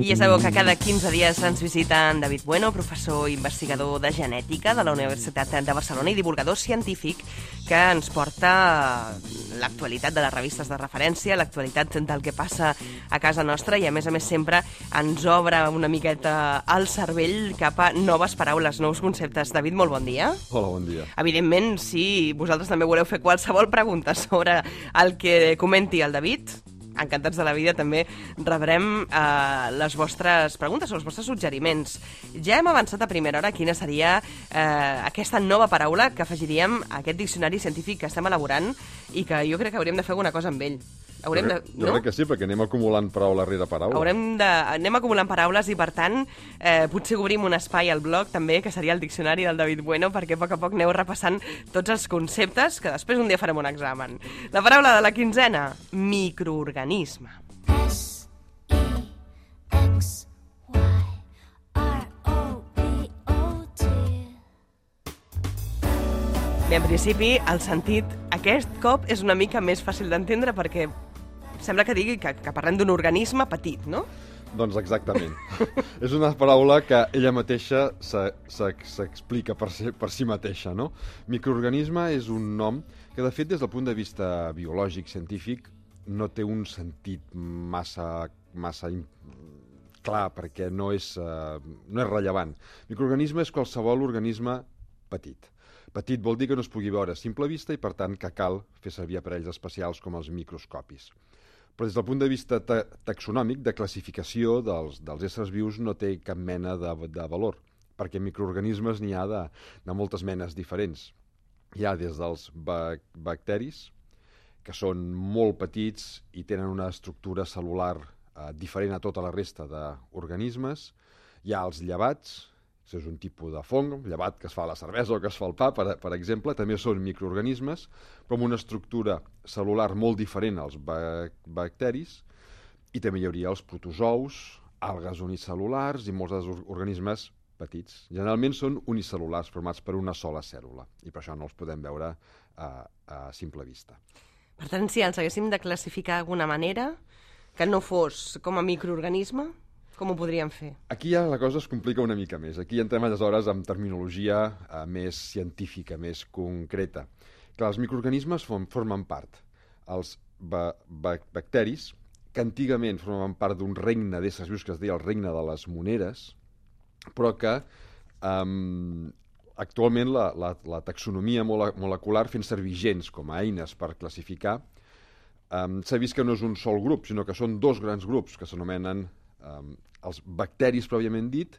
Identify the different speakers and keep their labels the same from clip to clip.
Speaker 1: I ja sabeu que cada 15 dies ens visita en David Bueno, professor investigador de genètica de la Universitat de Barcelona i divulgador científic que ens porta l'actualitat de les revistes de referència, l'actualitat del que passa a casa nostra i, a més sempre, ens obre una miqueta el cervell cap a noves paraules, nous conceptes. David, molt bon dia.
Speaker 2: Hola, bon dia.
Speaker 1: Evidentment, si vosaltres també voleu fer qualsevol pregunta sobre el que comenti el David, encantats de la vida, també rebrem les vostres preguntes o els vostres suggeriments. Ja hem avançat a primera hora quina seria aquesta nova paraula que afegiríem a aquest diccionari científic que estem elaborant i que jo crec que hauríem de fer alguna cosa amb ell.
Speaker 2: Jo crec que sí, perquè anem acumulant paraula rere paraula.
Speaker 1: Anem acumulant paraules i, per tant, potser obrim un espai al blog també, que seria el diccionari del David Bueno, perquè a poc aneu repassant tots els conceptes, que després un dia farem un examen. La paraula de la quinzena, microorganisme. Bé, en principi, el sentit aquest cop és una mica més fàcil d'entendre perquè sembla que digui que parlem d'un organisme petit, no?
Speaker 2: Doncs exactament. És una paraula que ella mateixa s'explica per si mateixa, no? Microorganisme és un nom que, de fet, des del punt de vista biològic, científic, no té un sentit massa clar, perquè no és rellevant. Microorganisme és qualsevol organisme petit. Petit vol dir que no es pugui veure a simple vista i, per tant, que cal fer servir aparells especials com els microscopis. Però des del punt de vista taxonòmic, de classificació dels éssers vius, no té cap mena de valor, perquè microorganismes n'hi ha de moltes menes diferents. Hi ha des dels bacteris, que són molt petits i tenen una estructura cel·lular diferent a tota la resta d'organismes. Hi ha els llevats, que és un tipus de fong, llevat que es fa a la cervesa o que es fa al pa, per exemple, també són microorganismes, però amb una estructura cel·lular molt diferent als bacteris, i també hi hauria els protozous, algues unicel·lulars i molts dels organismes petits. Generalment són unicel·lulars, formats per una sola cèl·lula, i per això no els podem veure a simple vista.
Speaker 1: Per tant, si els haguéssim de classificar d'alguna manera, que no fos com a microorganisme, com ho podríem fer? Aquí
Speaker 2: ja la cosa es complica una mica més. Aquí entrem aleshores amb terminologia més científica, més concreta. Clar, els microorganismes formen part. Els bacteris, que antigament formaven part d'un regne d'éssers vius que es deia el regne de les moneres, però que actualment la taxonomia molecular, fent servir gens com a eines per classificar, s'ha vist que no és un sol grup, sinó que són dos grans grups que s'anomenen els bacteris, pròpiament dit,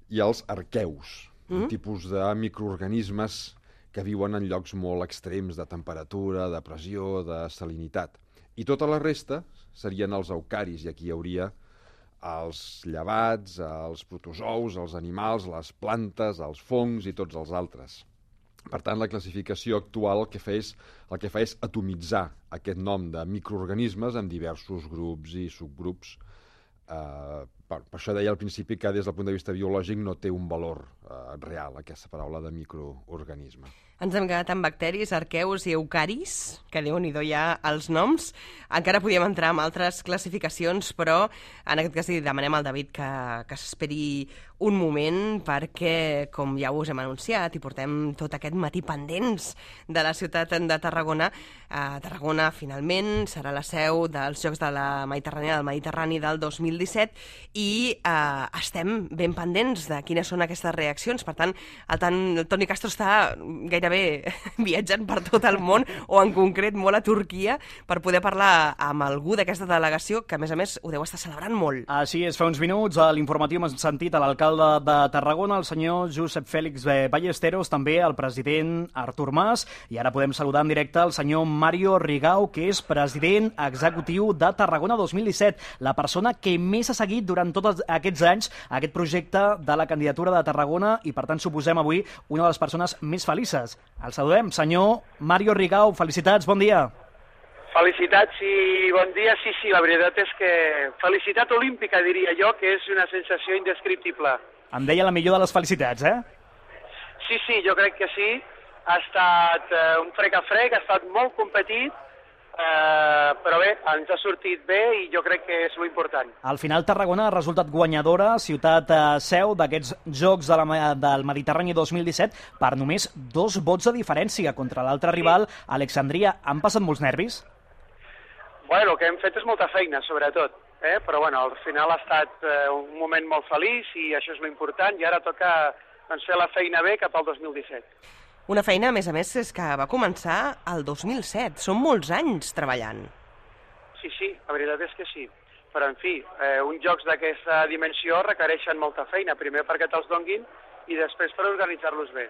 Speaker 2: i els arqueus, un tipus de microorganismes que viuen en llocs molt extrems de temperatura, de pressió, de salinitat. I tota la resta serien els eucaris, i aquí hi hauria els llevats, els protozous, els animals, les plantes, els fongs i tots els altres. Per tant, la classificació actual el que fa és atomitzar aquest nom de microorganismes en diversos grups i subgrups. Per això deia al principi que des del punt de vista biològic no té un valor real aquesta paraula de microorganisme.
Speaker 1: Ens hem quedat amb bacteris, arqueus i eucaris, que Déu-n'hi-do ja els noms. Encara podíem entrar en altres classificacions, però en aquest cas demanem al David que s'esperi un moment perquè, com ja us hem anunciat i portem tot aquest matí pendents de la ciutat de Tarragona, Tarragona finalment serà la seu dels Jocs de la Mediterrània del Mediterrani del 2017 i estem ben pendents de quines són aquestes reaccions. Per tant, el Toni Castro està gairebé viatjant per tot el món, o en concret molt a Turquia, per poder parlar amb algú d'aquesta delegació, que a més ho deu estar celebrant molt.
Speaker 3: Així és, fa uns minuts a l'informatiu hem sentit a l'alcalde de Tarragona, el senyor Josep Fèlix Ballesteros, també el president Artur Mas, i ara podem saludar en directe el senyor Mario Rigau, que és president executiu de Tarragona 2017, la persona que més ha seguit durant tots aquests anys aquest projecte de la candidatura de Tarragona i, per tant, suposem avui una de les persones més felices. El saludem, senyor Mario Rigau, felicitats, bon dia.
Speaker 4: Felicitats i bon dia, sí, la veritat és que felicitat olímpica, diria jo, que és una sensació indescriptible.
Speaker 3: Em deia la millor de les felicitats, eh?
Speaker 4: Sí, jo crec que sí. Ha estat un frec a frec, ha estat molt competit, però bé, ens ha sortit bé i jo crec que és lo important.
Speaker 3: Al final, Tarragona ha resultat guanyadora, ciutat seu d'aquests Jocs del Mediterrani 2017, per només 2 vots de diferència contra l'altre rival, Alexandria. Han passat molts nervis?
Speaker 4: Bueno, el que hem fet és molta feina, sobretot, però bueno, al final ha estat un moment molt feliç i això és lo important, i ara toca fer la feina bé cap al 2017.
Speaker 1: Una feina, a més, és que va començar el 2007. Són molts anys treballant.
Speaker 4: Sí, la veritat és que sí. Però, en fi, uns jocs d'aquesta dimensió requereixen molta feina, primer perquè te'ls donguin i després per organitzar-los bé.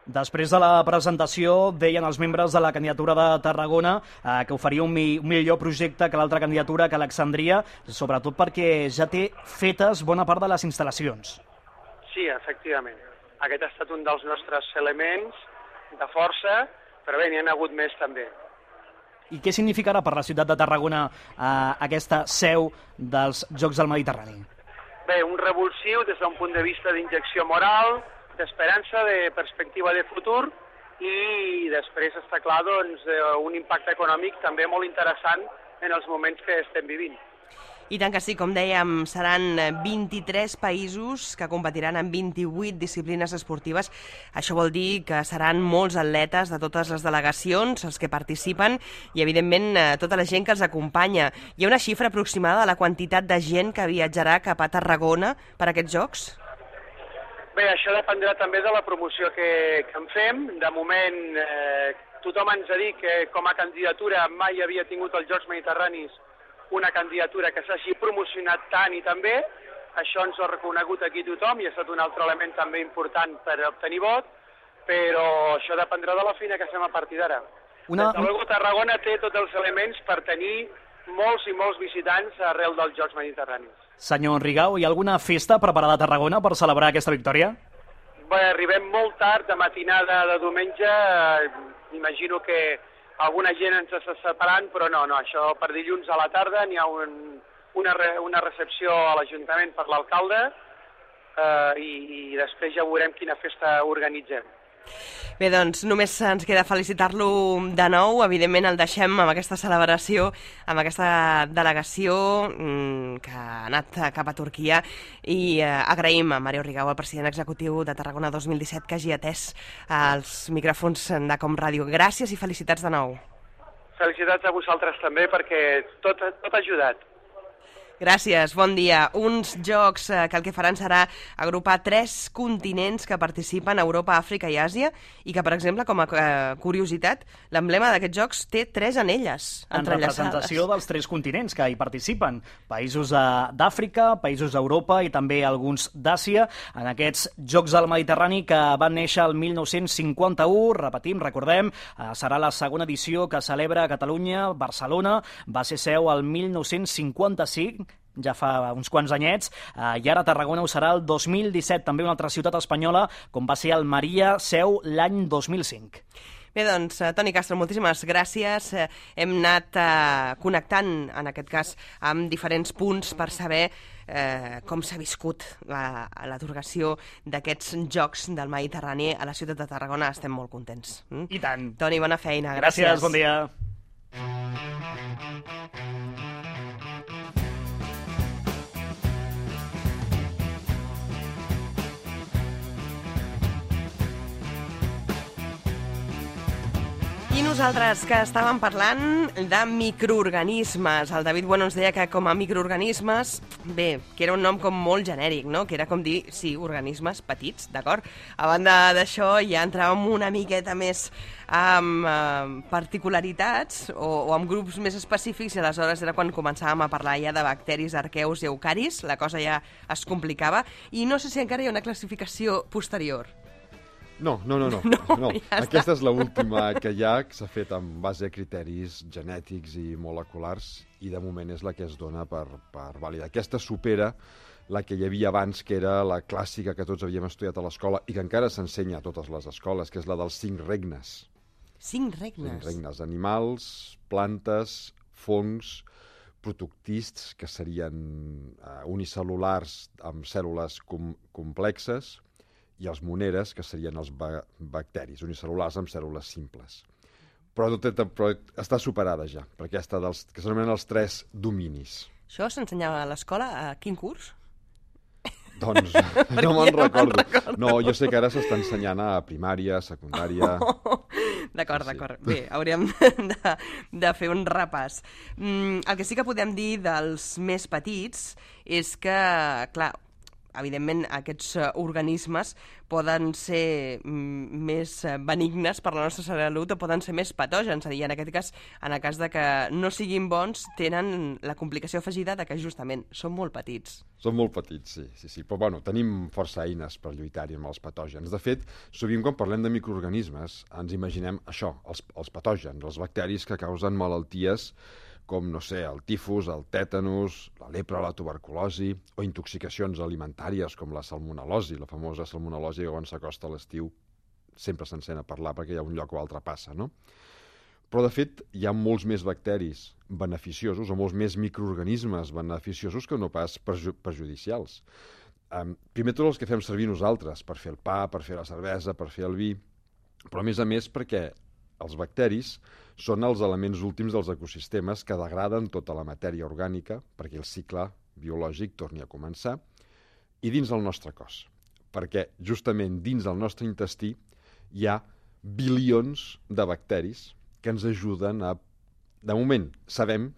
Speaker 3: Després de la presentació, deien els membres de la candidatura de Tarragona que oferia un millor projecte que l'altra candidatura, que Alexandria, sobretot perquè ja té fetes bona part de les instal·lacions.
Speaker 4: Sí, efectivament. Aquest ha estat un dels nostres elements de força, però bé, n'hi ha hagut més també.
Speaker 3: I què significarà per la ciutat de Tarragona aquesta seu dels Jocs del Mediterrani?
Speaker 4: Bé, un revulsiu des d'un punt de vista d'injecció moral, d'esperança, de perspectiva de futur, i després està clar, doncs, un impacte econòmic també molt interessant en els moments que estem vivint.
Speaker 1: I tant que sí, com dèiem, seran 23 països que competiran en 28 disciplines esportives. Això vol dir que seran molts atletes de totes les delegacions, els que participen, i evidentment tota la gent que els acompanya. Hi ha una xifra aproximada de la quantitat de gent que viatjarà cap a Tarragona per a aquests Jocs?
Speaker 4: Bé, això dependrà també de la promoció que en fem. De moment, tothom ens ha dit que com a candidatura mai havia tingut els Jocs Mediterranis una candidatura que s'hagi promocionat tant i tan bé. Això ens ho ha reconegut aquí tothom i ha estat un altre element també important per obtenir vot, però això dependrà de la feina que fem a partir d'ara. Des de luego, Tarragona té tots els elements per tenir molts i molts visitants arrel dels Jocs Mediterranis.
Speaker 3: Senyor Rigau, hi ha alguna festa preparada a Tarragona per celebrar aquesta victòria?
Speaker 4: Bé, arribem molt tard, de matinada de diumenge, imagino que alguna gent ens està separant, però no, això per dilluns a la tarda n'hi ha una recepció a l'Ajuntament per l'alcalde i després ja veurem quina festa organitzem.
Speaker 1: Bé, doncs només ens queda felicitar-lo de nou. Evidentment el deixem amb aquesta celebració, amb aquesta delegació que ha anat cap a Turquia, i agraïm a Mario Rigau, el president executiu de Tarragona 2017, que hagi atès els micròfons de Com Ràdio. Gràcies i felicitats de nou.
Speaker 4: Felicitats a vosaltres també, perquè tot ha ajudat.
Speaker 1: Gràcies, bon dia. Uns jocs que el que faran serà agrupar 3 continents que participen a Europa, Àfrica i Àsia, i que, per exemple, com a curiositat, l'emblema d'aquests jocs té 3 anelles
Speaker 3: en
Speaker 1: entrellaçades.
Speaker 3: Representació dels 3 continents que hi participen. Països d'Àfrica, països d'Europa i també alguns d'Àsia. En aquests Jocs del Mediterrani que van néixer el 1951, repetim, recordem, serà la segona edició que celebra a Catalunya, Barcelona, va ser seu el 1955, ja fa uns quants anyets, i ara Tarragona ho serà el 2017, també una altra ciutat espanyola, com va ser Almeria, seu l'any 2005.
Speaker 1: Bé, doncs, Toni Castro, moltíssimes gràcies. Hem anat connectant, en aquest cas, amb diferents punts per saber com s'ha viscut l'atorgació d'aquests Jocs del Mediterrani a la ciutat de Tarragona. Estem molt contents.
Speaker 3: I tant.
Speaker 1: Toni, bona feina.
Speaker 3: Gràcies, bon dia.
Speaker 1: I nosaltres, que estàvem parlant de microorganismes. El David Bueno ens deia que com a microorganismes, bé, que era un nom com molt genèric, no? Que era com dir, sí, organismes petits, d'acord? A banda d'això, ja entràvem una miqueta més amb particularitats o amb grups més específics, i aleshores era quan començàvem a parlar ja de bacteris, arqueus i eucaris. La cosa ja es complicava, i no sé si encara hi ha una classificació posterior.
Speaker 2: No.
Speaker 1: Ja
Speaker 2: Aquesta és l'última que hi ha, que s'ha fet en base a criteris genètics i moleculars, i de moment és la que es dona per vàlida. Aquesta supera la que hi havia abans, que era la clàssica que tots havíem estudiat a l'escola i que encara s'ensenya a totes les escoles, que és la dels 5 regnes.
Speaker 1: 5 regnes?
Speaker 2: 5 regnes. Animals, plantes, fongs, protoctists, que serien unicel·lulars amb cèl·lules complexes, i els moneres, que serien els bacteris, unicel·lulars amb cèl·lules simples. però està superada ja, per aquesta que s'anomenen els 3 dominis.
Speaker 1: Això s'ensenyava a l'escola a quin curs?
Speaker 2: Doncs no me'n recordo. No, jo sé que ara s'està ensenyant a primària, secundària...
Speaker 1: D'acord,
Speaker 2: Sí.
Speaker 1: d'acord. Bé, hauríem de fer un repàs. El que sí que podem dir dels més petits és que, clar, evidentment aquests organismes poden ser més benignes per la nostra salut o poden ser més patògens. És a dir, en aquest cas, en el cas de que no siguin bons, tenen la complicació afegida de que justament són molt petits.
Speaker 2: Són molt petits, sí. Però bueno, tenim força eines per lluitar-hi amb els patògens. De fet, sovint quan parlem de microorganismes ens imaginem això, els patògens, els bacteris que causen malalties com, no sé, el tifus, el tètanus, la lepra, la tuberculosi, o intoxicacions alimentàries com la salmonel·losi, la famosa salmonel·losi que quan s'acosta a l'estiu sempre s'encén a parlar perquè hi ha un lloc o altre passa, no? Però, de fet, hi ha molts més bacteris beneficiosos o molts més microorganismes beneficiosos que no pas perjudicials. Primer tots els que fem servir nosaltres per fer el pa, per fer la cervesa, per fer el vi, però a més perquè els bacteris són els elements últims dels ecosistemes que degraden tota la matèria orgànica perquè el cicle biològic torni a començar, i dins del nostre cos. Perquè justament dins del nostre intestí hi ha bilions de bacteris que ens ajuden a... De moment, sabíem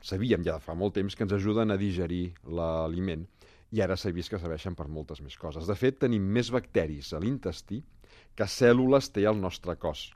Speaker 2: ja de fa molt temps que ens ajuden a digerir l'aliment, i ara s'ha vist que serveixen per moltes més coses. De fet, tenim més bacteris a l'intestí que cèl·lules té al nostre cos.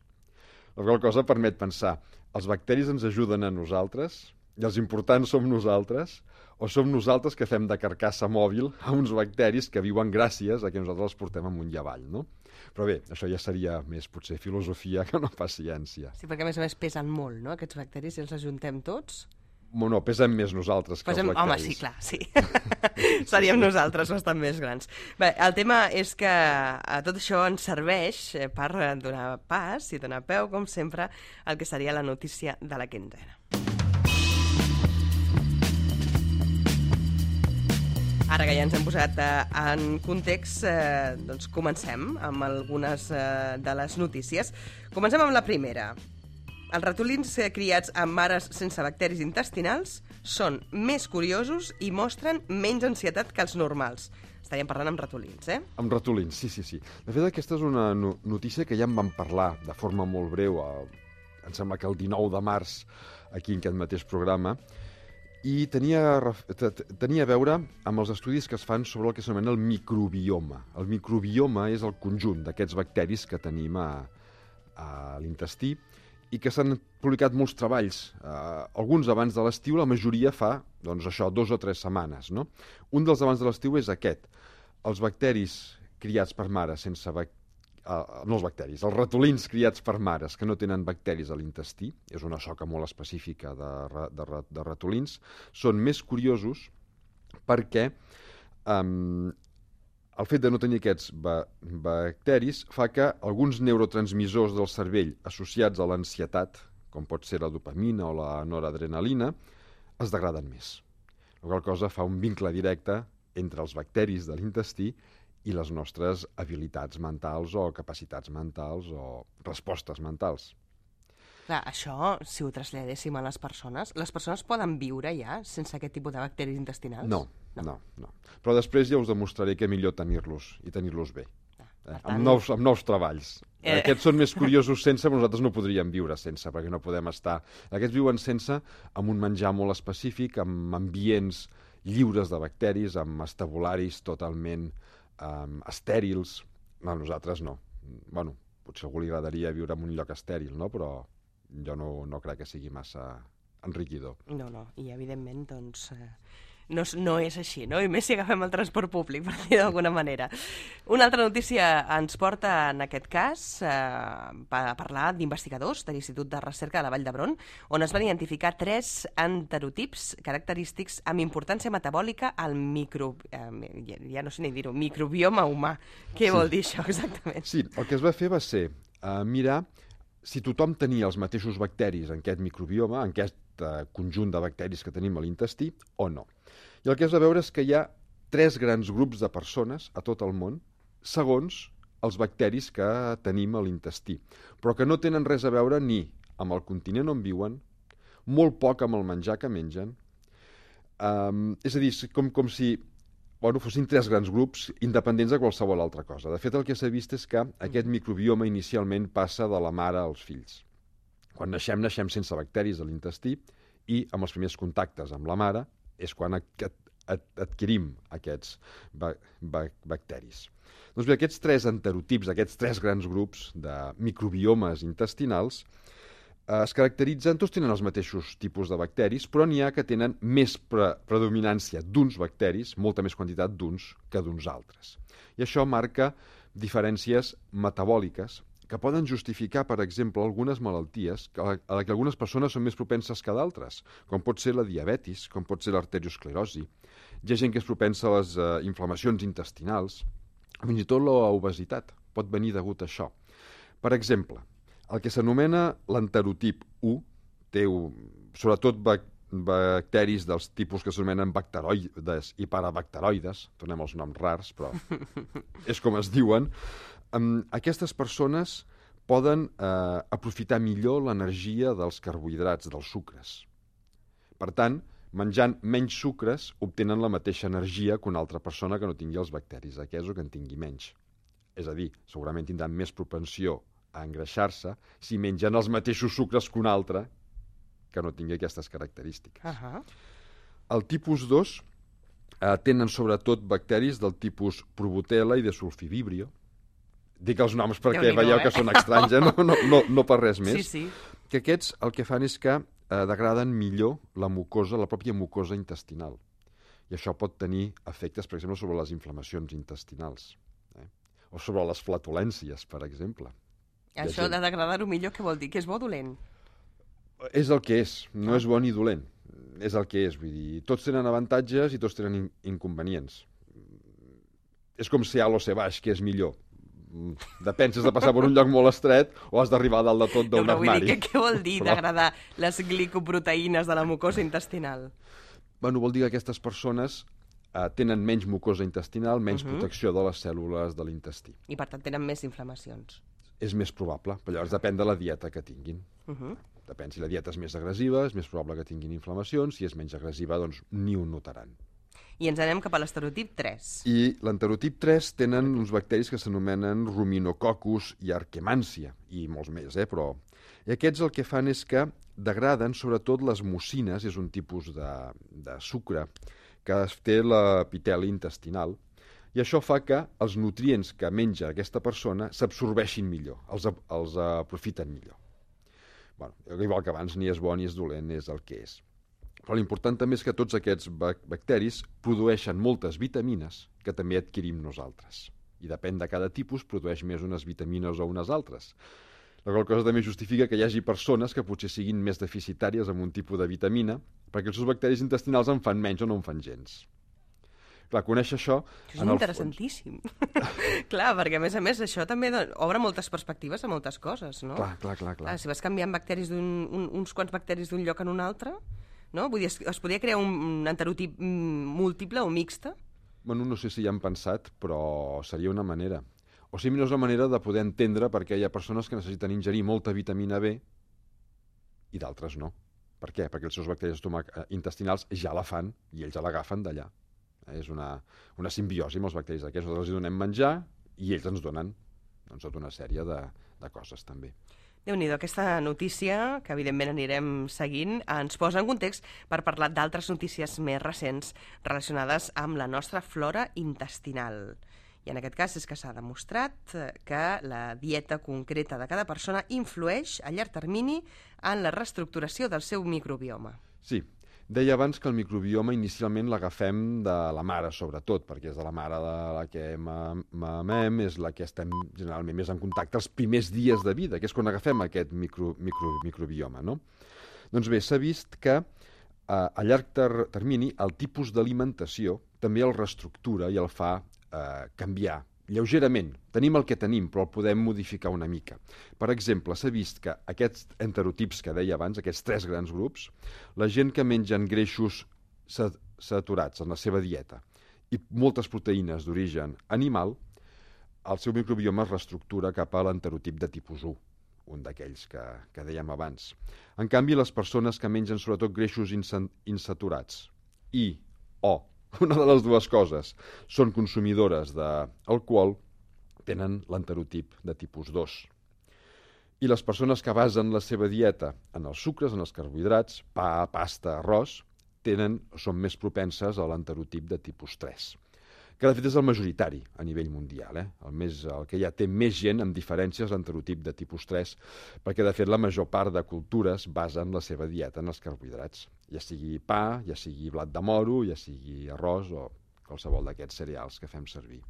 Speaker 2: La qual cosa permet pensar, els bacteris ens ajuden a nosaltres, i els importants som nosaltres, o som nosaltres que fem de carcassa mòbil a uns bacteris que viuen gràcies a que nosaltres els portem amunt i avall, no? Però bé, això ja seria més potser filosofia que no pas ciència.
Speaker 1: Sí, perquè a més pesen molt, no?, aquests bacteris, si els ajuntem tots...
Speaker 2: No, pesen més nosaltres que els bacteris.
Speaker 1: Home, sí, clar, sí. Seríem nosaltres bastant més grans. Bé, el tema és que tot això ens serveix per donar pas i donar peu, com sempre, al que seria la notícia de la quinzena. Ara que ja ens hem posat en context, doncs comencem amb algunes de les notícies. Comencem amb la primera. Els ratolins criats amb mares sense bacteris intestinals són més curiosos i mostren menys ansietat que els normals. Estaríem parlant amb ratolins, eh?
Speaker 2: Amb ratolins, sí. De fet, aquesta és una notícia que ja en vam parlar de forma molt breu, em sembla que el 19 de març, aquí en aquest mateix programa, i tenia a veure amb els estudis que es fan sobre el que s'anomena el microbioma. El microbioma és el conjunt d'aquests bacteris que tenim a l'intestí i que s'han publicat molts treballs, alguns abans de l'estiu, la majoria fa, doncs això, 2 o 3 setmanes, no? Un dels abans de l'estiu és aquest. Els bacteris criats per mares sense no els bacteris, els ratolins criats per mares que no tenen bacteris a l'intestí, és una soca molt específica de ratolins, són més curiosos perquè el fet de no tenir aquests bacteris fa que alguns neurotransmissors del cervell associats a l'ansietat, com pot ser la dopamina o la noradrenalina, es degraden més. La qual cosa fa un vincle directe entre els bacteris de l'intestí i les nostres habilitats mentals o capacitats mentals o respostes mentals.
Speaker 1: Clar, això, si ho traslladéssim a les persones poden viure ja sense aquest tipus de bacteris intestinals?
Speaker 2: No. Però després ja us demostraré que millor tenir-los i tenir-los bé. Amb nous treballs. Aquests són més curiosos sense, però nosaltres no podríem viure sense, perquè no podem estar... Aquests viuen sense, amb un menjar molt específic, amb ambients lliures de bacteris, amb estabularis totalment estèrils. No, nosaltres no. Bueno, potser a algú li agradaria viure en un lloc estèril, no? Però jo no crec que sigui massa enriquidor.
Speaker 1: No, i evidentment, doncs... No és així, no? I més si agafem el transport públic, per dir d'alguna manera. Una altra notícia ens porta, en aquest cas, a parlar d'investigadors de l'Institut de Recerca de la Vall d'Hebron, on es van identificar 3 enterotips característics amb importància metabòlica al ja no sé ni dir-ho, microbioma humà. Què vol dir això, exactament?
Speaker 2: Sí, el que es va fer va ser mirar si tothom tenia els mateixos bacteris en aquest microbioma, en aquest conjunt de bacteris que tenim a l'intestí, o no. I el que es va veure és que hi ha 3 grans grups de persones a tot el món, segons els bacteris que tenim a l'intestí, però que no tenen res a veure ni amb el continent on viuen, molt poc amb el menjar que mengen. És a dir, com si fossin 3 grans grups independents de qualsevol altra cosa. De fet, el que s'ha vist és que aquest microbioma inicialment passa de la mare als fills. Quan naixem sense bacteris a l'intestí i amb els primers contactes amb la mare és quan adquirim aquests bacteris. Doncs bé, aquests 3 enterotips, aquests 3 grans grups de microbiomes intestinals es caracteritzen, tots tenen els mateixos tipus de bacteris, però n'hi ha que tenen més predominància d'uns bacteris, molta més quantitat d'uns que d'uns altres. I això marca diferències metabòliques que poden justificar, per exemple, algunes malalties a les que algunes persones són més propenses que d'altres, com pot ser la diabetis, com pot ser l'arteriosclerosi. Hi ha gent que és propensa a les inflamacions intestinals, fins i tot l'obesitat pot venir degut a això. Per exemple, el que s'anomena l'enterotip 1 té sobretot bacteris dels tipus que s'anomenen bacteroides i parabacteroides, tornem als noms rars, però és com es diuen. Aquestes persones poden aprofitar millor l'energia dels carbohidrats, dels sucres. Per tant, menjant menys sucres obtenen la mateixa energia que una altra persona que no tingui els bacteris aquests o que en tingui menys. És a dir, segurament tindran més propensió a engreixar-se si mengen els mateixos sucres que un altre que no tingui aquestes característiques. El tipus 2 tenen sobretot bacteris del tipus Probotella i Desulfivibrio. Dic els noms perquè veieu que són estranys, no per res més.
Speaker 1: Sí.
Speaker 2: Que aquests el que fan és que degraden millor la pròpia mucosa intestinal. I això pot tenir efectes, per exemple, sobre les inflamacions intestinals. O sobre les flatulències, per exemple.
Speaker 1: Això de degradar-ho millor, què vol dir? Que és bo o dolent?
Speaker 2: És el que és, no és bo ni dolent. És el que és, vull dir, tots tenen avantatges i tots tenen inconvenients. És com ser alt o ser baix, que és millor. Depèn si has de passar per un lloc molt estret o has d'arribar a dalt de tot d'un armari.
Speaker 1: Què vol dir degradar les glicoproteïnes de la mucosa intestinal?
Speaker 2: Vol dir que aquestes persones tenen menys mucosa intestinal, menys protecció de les cèl·lules de l'intestí.
Speaker 1: I per tant tenen més inflamacions.
Speaker 2: És més probable, però llavors depèn de la dieta que tinguin. Depèn si la dieta és més agressiva, és més probable que tinguin inflamacions, si és menys agressiva, doncs ni ho notaran.
Speaker 1: I ens anem cap a l'esterotip 3.
Speaker 2: I l'enterotip 3 tenen uns bacteris que s'anomenen Ruminococcus i Arquemància, i molts més, però... I aquests el que fan és que degraden sobretot les mucines, és un tipus de sucre que té l'epiteli intestinal, i això fa que els nutrients que menja aquesta persona s'absorbeixin millor, els aprofiten millor. Igual que abans, ni és bo ni és dolent, és el que és. Però l'important també és que tots aquests bacteris produeixen moltes vitamines que també adquirim nosaltres. I depèn de cada tipus, produeix més unes vitamines o unes altres. La qual cosa també justifica que hi hagi persones que potser siguin més deficitàries amb un tipus de vitamina, perquè els seus bacteris intestinals en fan menys o no en fan gens. Clar, conèixer això...
Speaker 1: És interessantíssim. Clar, perquè a més això també obre moltes perspectives a moltes coses, no?
Speaker 2: Clar.
Speaker 1: Si vas canviant bacteris uns quants bacteris d'un lloc en un altre, no? Vull dir, es podria crear un enterotip múltiple o mixte?
Speaker 2: No sé si hi han pensat, però seria una manera. O sigui, no és una manera de poder entendre perquè hi ha persones que necessiten ingerir molta vitamina B i d'altres no. Per què? Perquè els seus bacteris intestinals ja la fan i ells ja l'agafen d'allà. És una simbiosi amb els bacteris d'aquests. Nosaltres els donem menjar i ells ens donen tota una sèrie de coses també.
Speaker 1: Déu-n'hi-do, aquesta notícia, que evidentment anirem seguint, ens posa en context per parlar d'altres notícies més recents relacionades amb la nostra flora intestinal. I en aquest cas és que s'ha demostrat que la dieta concreta de cada persona influeix a llarg termini en la reestructuració del seu microbioma.
Speaker 2: Sí. Deia abans que el microbioma inicialment l'agafem de la mare, sobretot, perquè és de la mare de la que mamem, és la que estem generalment més en contacte els primers dies de vida, que és quan agafem aquest microbioma, no? Doncs bé, s'ha vist que a llarg termini el tipus d'alimentació també el reestructura i el fa canviar lleugerament. Tenim el que tenim, però el podem modificar una mica. Per exemple, s'ha vist que aquests enterotips que deia abans, aquests 3 grans grups, la gent que mengen greixos saturats en la seva dieta i moltes proteïnes d'origen animal, el seu microbioma es reestructura cap a l'enterotip de tipus 1. un d'aquells que dèiem abans. En canvi, les persones que mengen sobretot greixos insaturats una de les dues coses, són consumidores d'alcohol, tenen l'enterotip de tipus 2. I les persones que basen la seva dieta en els sucres, en els carbohidrats, pa, pasta, arròs, són més propenses a l'enterotip de tipus 3, que de fet és el majoritari a nivell mundial. El que ja té més gent amb diferències l'enterotip de tipus 3, perquè de fet la major part de cultures basen la seva dieta en els carbohidrats, ja sigui pa, ja sigui blat de moro, ja sigui arròs o qualsevol d'aquests cereals que fem servir.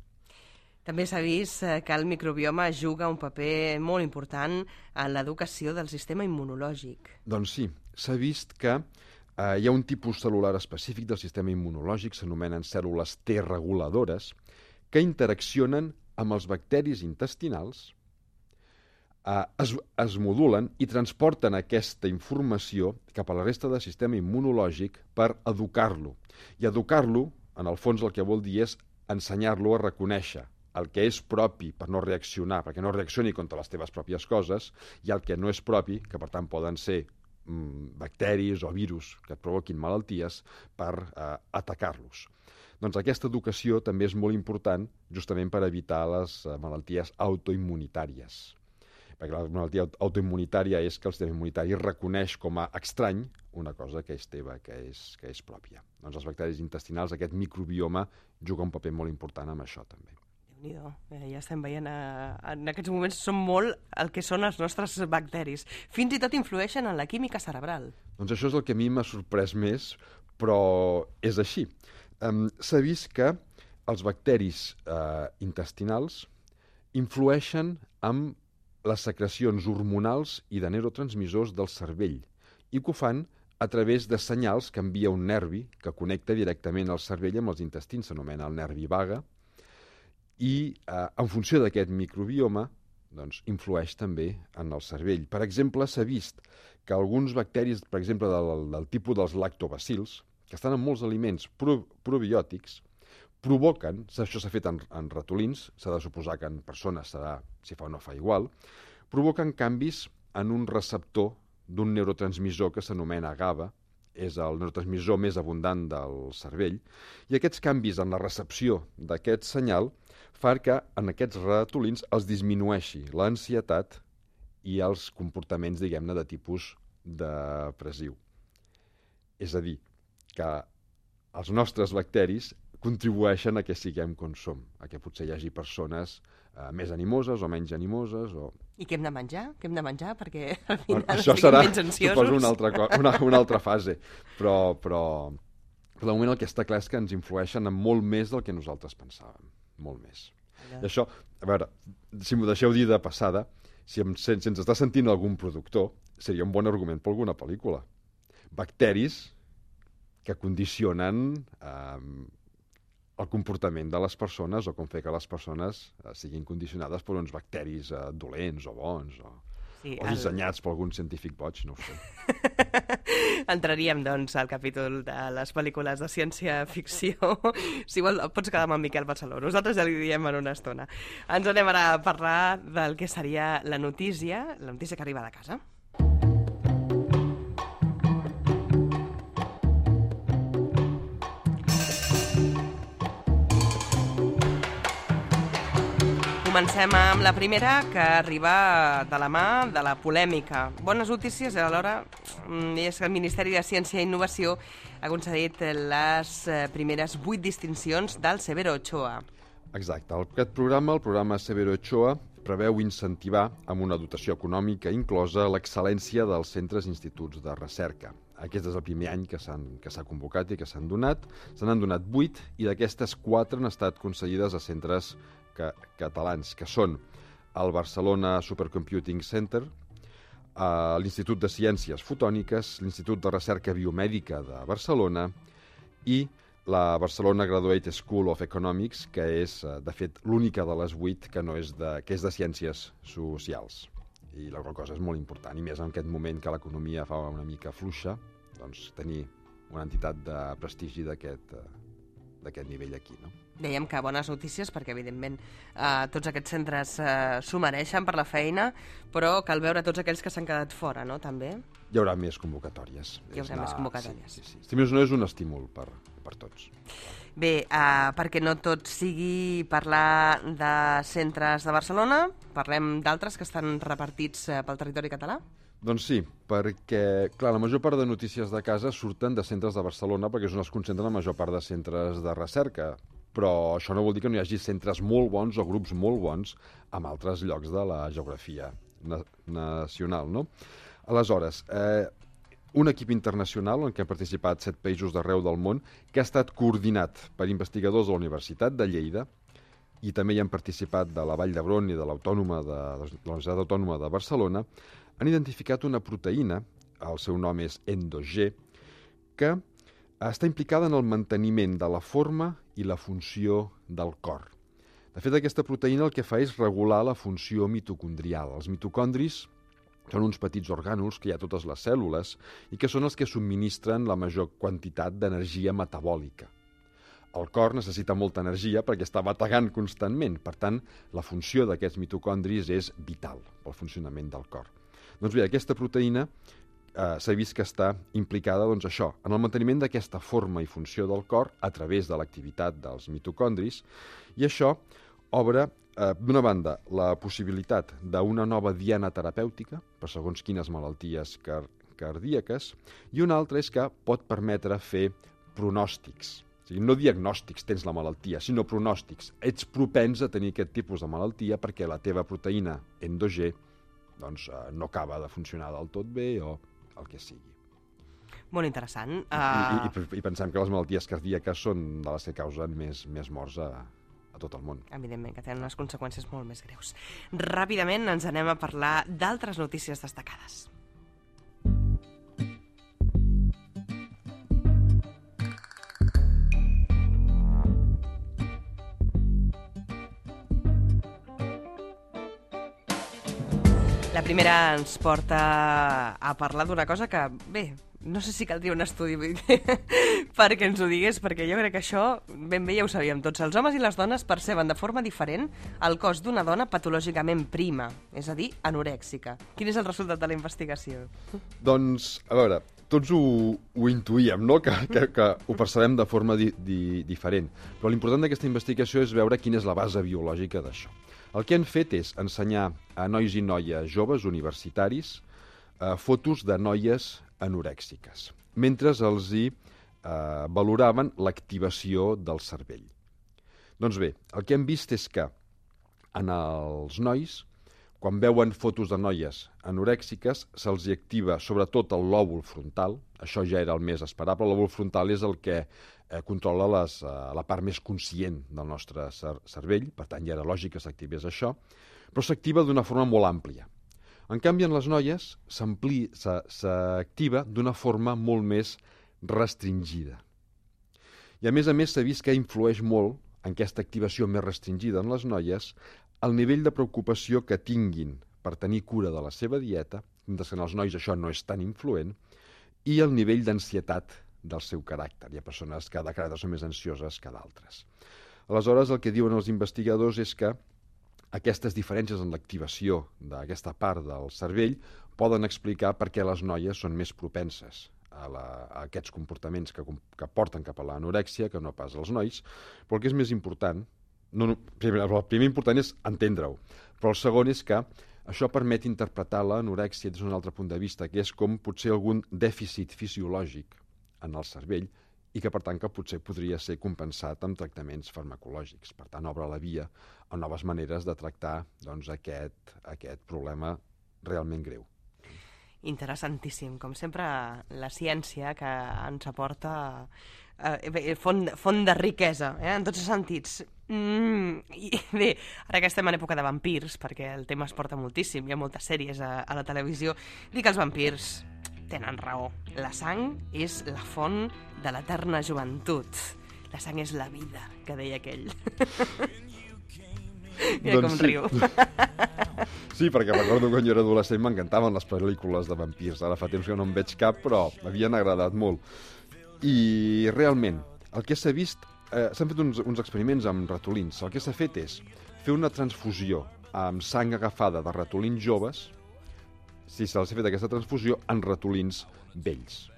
Speaker 1: També s'ha vist que el microbioma juga un paper molt important en l'educació del sistema immunològic.
Speaker 2: Doncs sí, s'ha vist que hi ha un tipus cel·lular específic del sistema immunològic, s'anomenen cèl·lules T reguladores, que interaccionen amb els bacteris intestinals, es modulen i transporten aquesta informació cap a la resta del sistema immunològic per educar-lo. I educar-lo, en el fons, el que vol dir és ensenyar-lo a reconèixer el que és propi per no reaccionar, perquè no reaccioni contra les teves pròpies coses, i el que no és propi, que per tant poden ser bacteris o virus que et provoquin malalties, per atacar-los. Doncs aquesta educació també és molt important justament per evitar les malalties autoimmunitàries. Perquè la malaltia autoimmunitària és que el sistema immunitari reconeix com a estrany una cosa que és teva, que és pròpia. Doncs els bacteris intestinals, aquest microbioma, juga un paper molt important amb això també.
Speaker 1: Déu-n'hi-do, ja estem veient, en aquests moments són molt el que són els nostres bacteris. Fins i tot influeixen en la química cerebral.
Speaker 2: Doncs això és el que a mi m'ha sorprès més, però és així. S'ha vist que els bacteris intestinals influeixen amb les secrecions hormonals i de neurotransmissors del cervell i que ho fan a través de senyals que envia un nervi que connecta directament el cervell amb els intestins, s'anomena el nervi vague, i en funció d'aquest microbioma doncs, influeix també en el cervell. Per exemple, s'ha vist que alguns bacteris, per exemple, del tipus dels lactobacils, que estan en molts aliments probiòtics, provoquen, això s'ha fet en ratolins, s'ha de suposar que en persones serà, si fa o no fa igual, provoquen canvis en un receptor d'un neurotransmissor que s'anomena GABA, és el neurotransmissor més abundant del cervell, i aquests canvis en la recepció d'aquest senyal fan que en aquests ratolins els disminueixi l'ansietat i els comportaments, diguem-ne, de tipus depressiu. És a dir, que els nostres bacteris contribueixen a que siguem com som, a que potser hi hagi persones més animoses o menys animoses.
Speaker 1: I què hem de menjar? Què hem de menjar? Perquè al final
Speaker 2: això serà,
Speaker 1: menys ansiosos.
Speaker 2: Suposo, una altra fase. Però de moment el que està clar és que ens influeixen en molt més del que nosaltres pensàvem. Molt més. I això, a veure, si m'ho deixeu dir de passada, si ens està sentint algun productor, seria un bon argument per alguna pel·lícula. Bacteris que condicionen el comportament de les persones o com fer que les persones siguin condicionades per uns bacteris dolents o bons o dissenyats per algun científic boig, no ho sé.
Speaker 1: Entraríem, doncs, al capítol de les pel·lícules de ciència-ficció. Si vol, pots quedar amb en Miquel Barceló. Nosaltres ja li diem en una estona. Ens anem ara a parlar del que seria la notícia que arriba de casa. Comencem amb la primera, que arriba de la mà de la polèmica. Bones notícies, alhora, és que el Ministeri de Ciència i Innovació ha concedit les primeres 8 distincions del Severo Ochoa.
Speaker 2: Exacte. Aquest programa, el programa Severo Ochoa, preveu incentivar amb una dotació econòmica inclosa l'excel·lència dels centres i instituts de recerca. Aquest és el primer any que s'ha convocat i que s'han donat. Se n'han donat 8 i d'aquestes 4 han estat concedides a centres catalans, que són el Barcelona Supercomputing Center, l'Institut de Ciències Fotòniques, l'Institut de Recerca Biomèdica de Barcelona i la Barcelona Graduate School of Economics, que és, de fet, l'única de les 8 que és de ciències socials. I la cosa és molt important, i més en aquest moment que l'economia fa una mica fluixa, doncs tenir una entitat de prestigi d'aquest d'aquest nivell aquí, no?
Speaker 1: Dèiem que bones notícies perquè, evidentment, tots aquests centres s'ho mereixen per la feina, però cal veure tots aquells que s'han quedat fora, no?, també.
Speaker 2: Hi haurà més convocatòries.
Speaker 1: Hi haurà més convocatòries.
Speaker 2: Sí. Si més no, és un estímul per tots.
Speaker 1: Bé, perquè no tot sigui parlar de centres de Barcelona, parlem d'altres que estan repartits pel territori català?
Speaker 2: Doncs sí, perquè, clar, la major part de notícies de casa surten de centres de Barcelona perquè és on es concentren la major part de centres de recerca, però això no vol dir que no hi hagi centres molt bons o grups molt bons en altres llocs de la geografia nacional, no? Aleshores, un equip internacional en què han participat 7 països d'arreu del món que ha estat coordinat per investigadors de la Universitat de Lleida i també hi han participat de la Vall d'Hebron i de la Universitat Autònoma de Barcelona, han identificat una proteïna, el seu nom és Endo-G, que està implicada en el manteniment de la forma i la funció del cor. De fet, aquesta proteïna el que fa és regular la funció mitocondrial. Els mitocondris són uns petits orgànuls que hi ha a totes les cèl·lules i que són els que subministren la major quantitat d'energia metabòlica. El cor necessita molta energia perquè està bategant constantment. Per tant, la funció d'aquests mitocondris és vital pel funcionament del cor. Doncs bé, aquesta proteïna s'ha vist que està implicada en el manteniment d'aquesta forma i funció del cor a través de l'activitat dels mitocondris, i això obre, d'una banda, la possibilitat d'una nova diana terapèutica per segons quines malalties cardíaques, i una altra és que pot permetre fer pronòstics. O sigui, no diagnòstics, tens la malaltia, sinó pronòstics. Ets propens a tenir aquest tipus de malaltia perquè la teva proteïna Endo-G no acaba de funcionar del tot bé o el que sigui.
Speaker 1: Molt interessant.
Speaker 2: I pensem que les malalties cardíaques són de les que causen més morts a tot el món.
Speaker 1: Evidentment, que tenen unes conseqüències molt més greus. Ràpidament ens anem a parlar d'altres notícies destacades. La primera ens porta a parlar d'una cosa que, bé, no sé si caldria un estudi perquè ens ho digués, perquè jo crec que això ben bé ja ho sabíem tots. Els homes i les dones perceben de forma diferent el cos d'una dona patològicament prima, és a dir, anorèxica. Quin és el resultat de la investigació?
Speaker 2: Doncs, a veure, tots ho intuïem, no?, que ho percebem de forma diferent. Però l'important d'aquesta investigació és veure quina és la base biològica d'això. El que han fet és ensenyar a nois i noies joves universitaris fotos de noies anorèxiques, mentre els valoraven l'activació del cervell. Doncs bé, el que hem vist és que en els nois, quan veuen fotos de noies anorèxiques, se'ls activa sobretot el lòbul frontal. Això ja era el més esperable. El lòbul frontal és el que controla la part més conscient del nostre cervell, per tant ja era lògic que s'activés això, però s'activa d'una forma molt àmplia. En canvi, en les noies s'activa d'una forma molt més restringida. I a més s'ha vist que influeix molt en aquesta activació més restringida en les noies el nivell de preocupació que tinguin per tenir cura de la seva dieta, mentre que en els nois això no és tan influent, i el nivell d'ansietat del seu caràcter. Hi ha persones que de caràcter són més ansioses que d'altres. Aleshores, el que diuen els investigadors és que aquestes diferències en l'activació d'aquesta part del cervell poden explicar per què les noies són més propenses a aquests comportaments que porten cap a l'anorèxia que no pas als nois, però el que és més important, el primer important és entendre-ho, però el segon és que això permet interpretar l'anorèxia des d'un altre punt de vista, que és com potser algun dèficit fisiològic en el cervell i que, per tant, que potser podria ser compensat amb tractaments farmacològics. Per tant, obre la via a noves maneres de tractar aquest problema realment greu.
Speaker 1: Interessantíssim. Com sempre, la ciència que ens aporta font de riquesa, en tots els sentits. I bé, ara que estem en època de vampirs, perquè el tema es porta moltíssim, hi ha moltes sèries a la televisió, dic que els vampirs tenen raó. La sang és la font de l'eterna joventut. La sang és la vida, que deia aquell. Mira com riu.
Speaker 2: Sí, perquè recordo que quan jo era adolescent m'encantaven les pel·lícules de vampirs. Ara fa temps que no en veig cap, però m'havien agradat molt. I realment, el que s'ha vist s'han fet uns experiments amb ratolins. El que s'ha fet és fer una transfusió amb sang agafada de ratolins joves, si se'ls ha fet aquesta transfusió, en ratolins vells.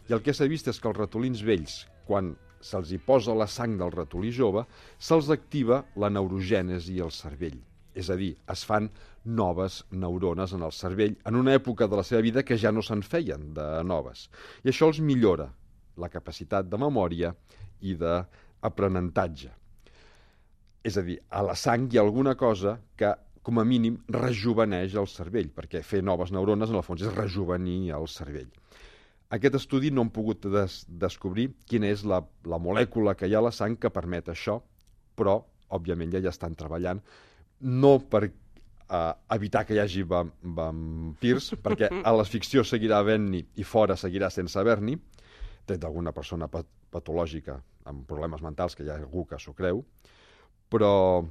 Speaker 2: I el que s'ha vist és que els ratolins vells, quan se'ls hi posa la sang del ratolí jove, se'ls activa la neurogènesi al cervell. És a dir, es fan noves neurones en el cervell en una època de la seva vida que ja no se'n feien de noves. I això els millora la capacitat de memòria i d'aprenentatge. És a dir, a la sang hi ha alguna cosa que, com a mínim, rejuveneix el cervell, perquè fer noves neurones, en el fons, és rejuvenir el cervell. Aquest estudi no han pogut descobrir quina és la molècula que hi ha a la sang que permet això, però, òbviament, ja estan treballant, no per evitar que hi hagi vampirs, perquè a la ficció seguirà havent-n'hi i fora seguirà sense haver-n'hi, tret d'alguna persona patològica amb problemes mentals, que hi ha algú que s'ho creu, però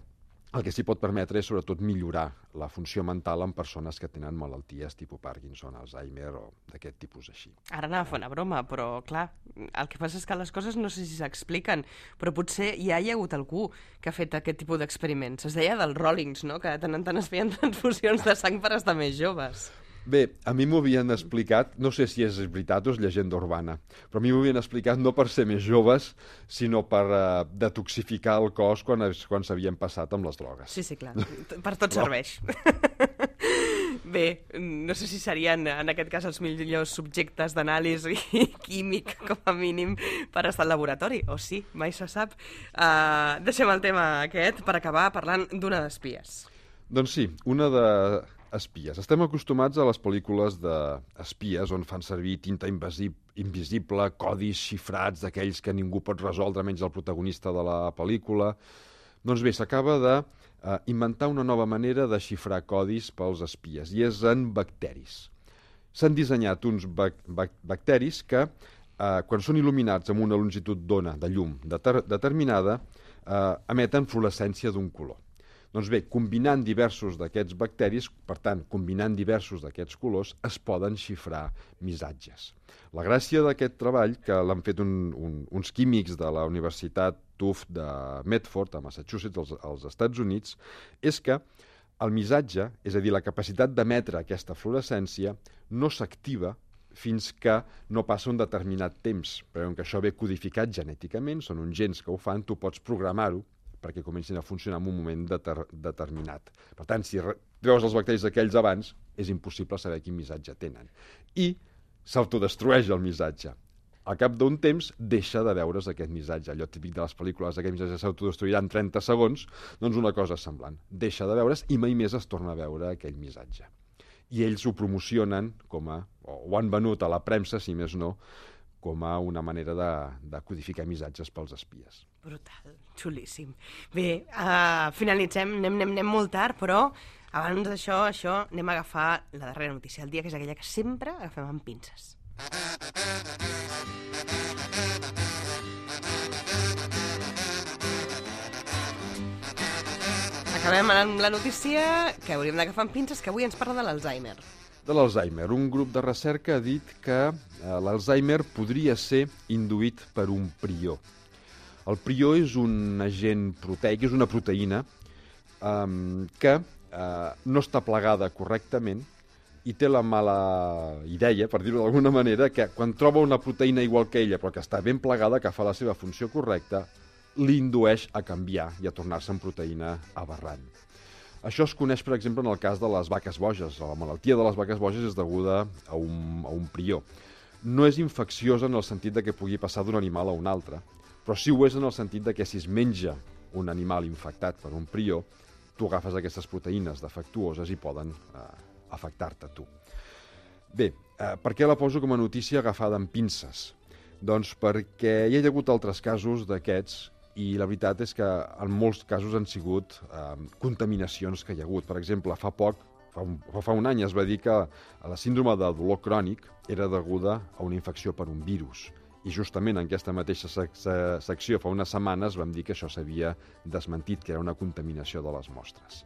Speaker 2: el que s'hi pot permetre és sobretot millorar la funció mental en persones que tenen malalties tipus Parkinson, Alzheimer o d'aquest tipus així.
Speaker 1: Ara anava a fer una broma, però clar, el que passa és que les coses no sé si s'expliquen, però potser ja hi ha hagut algú que ha fet aquest tipus d'experiments. Es deia dels Rollings, no?, que de tant en tant es feien transfusions de sang per estar més joves.
Speaker 2: Bé, a mi m'ho havien explicat, no sé si és veritat o és llegenda urbana, però a mi m'ho havien explicat no per ser més joves, sinó per detoxificar el cos quan s'havien passat amb les drogues.
Speaker 1: Sí, clar, per tot serveix. Bé, no sé si serien en aquest cas els millors subjectes d'anàlisi químic, com a mínim, per estar al laboratori, o sí, mai se sap. Deixem el tema aquest per acabar parlant d'una d'espies.
Speaker 2: Doncs sí, una d'espies. Estem acostumats a les pel·lícules d'espies on fan servir tinta invisible, codis xifrats d'aquells que ningú pot resoldre menys el protagonista de la pel·lícula. Doncs bé, s'acaba d'inventar una nova manera de xifrar codis pels espies, i és en bacteris. S'han dissenyat uns bacteris que, quan són il·luminats amb una longitud d'ona de llum determinada, emeten fluorescència d'un color. Doncs bé, combinant diversos d'aquests bacteris, per tant, combinant diversos d'aquests colors, es poden xifrar missatges. La gràcia d'aquest treball, que l'han fet uns químics de la Universitat Tufts de Medford, a Massachusetts, als Estats Units, és que el missatge, és a dir, la capacitat d'emetre aquesta fluorescència, no s'activa fins que no passa un determinat temps. Però que això ve codificat genèticament, són uns gens que ho fan, tu pots programar-ho perquè comencin a funcionar en un moment determinat. Per tant, si treus els bacteris aquells abans, és impossible saber quin missatge tenen. I s'autodestrueix el missatge. Al cap d'un temps, deixa de veure's aquest missatge. Allò típic de les pel·lícules, aquest missatge s'autodestruirà en 30 segons, doncs una cosa semblant. Deixa de veure's i mai més es torna a veure aquell missatge. I ells ho promocionen o ho han venut a la premsa, si més no, com a una manera de codificar missatges pels espies.
Speaker 1: Brutal, xulíssim. Bé, finalitzem, anem molt tard, però abans d'això, anem a agafar la darrera notícia del dia, que és aquella que sempre agafem amb pinces. Acabem amb la notícia que hauríem d'agafar amb pinces, que avui ens parla de l'Alzheimer.
Speaker 2: De l'Alzheimer. Un grup de recerca ha dit que l'Alzheimer podria ser induït per un prió. El prió és un agent proteic, és una proteïna que no està plegada correctament i té la mala idea, per dir-ho d'alguna manera, que quan troba una proteïna igual que ella, però que està ben plegada, que fa la seva funció correcta, l'indueix a canviar i a tornar-se en proteïna aberrant. Això es coneix, per exemple, en el cas de les vaques boges. La malaltia de les vaques boges és deguda a un prió. No és infecciosa en el sentit de que pugui passar d'un animal a un altre, però sí ho és en el sentit de que si es menja un animal infectat per un prió, tu agafes aquestes proteïnes defectuoses i poden afectar-te a tu. Bé, per què la poso com a notícia agafada amb pinces? Doncs perquè hi ha hagut altres casos d'aquests i la veritat és que en molts casos han sigut contaminacions que hi ha hagut. Per exemple, fa un any es va dir que la síndrome de dolor crònic era deguda a una infecció per un virus. I justament en aquesta mateixa secció, fa unes setmanes, vam dir que això s'havia desmentit, que era una contaminació de les mostres.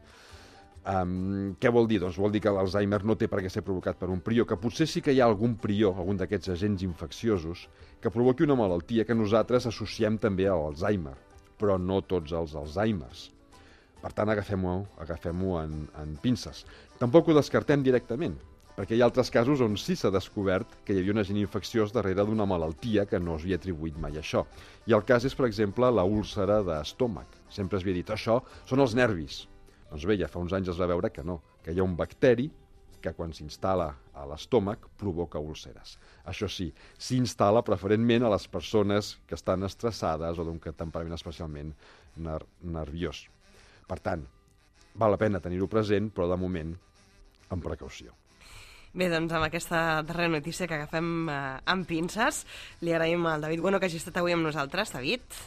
Speaker 2: Què vol dir? Doncs vol dir que l'Alzheimer no té per què ser provocat per un prió, que potser sí que hi ha algun prió, algun d'aquests agents infecciosos, que provoqui una malaltia que nosaltres associem també a l'Alzheimer. però no tots els Alzheimer's. Per tant, agafem-ho en pinces. Tampoc ho descartem directament, perquè hi ha altres casos on sí s'ha descobert que hi havia un agent infecciós darrere d'una malaltia que no s'havia atribuït mai a això. I el cas és, per exemple, la úlcera d'estómac. Sempre es havia dit, això són els nervis. Doncs bé, ja fa uns anys es va veure que no, que hi ha un bacteri que quan s'instal·la a l'estómac provoca úlceres. Això sí, s'instal·la preferentment a les persones que estan estressades o d'un temperament especialment nerviós. Per tant, val la pena tenir-ho present, però de moment amb precaució.
Speaker 1: Bé, doncs amb aquesta darrera notícia que agafem amb pinces, li agraïm al David Bueno que hagi estat avui amb nosaltres. David.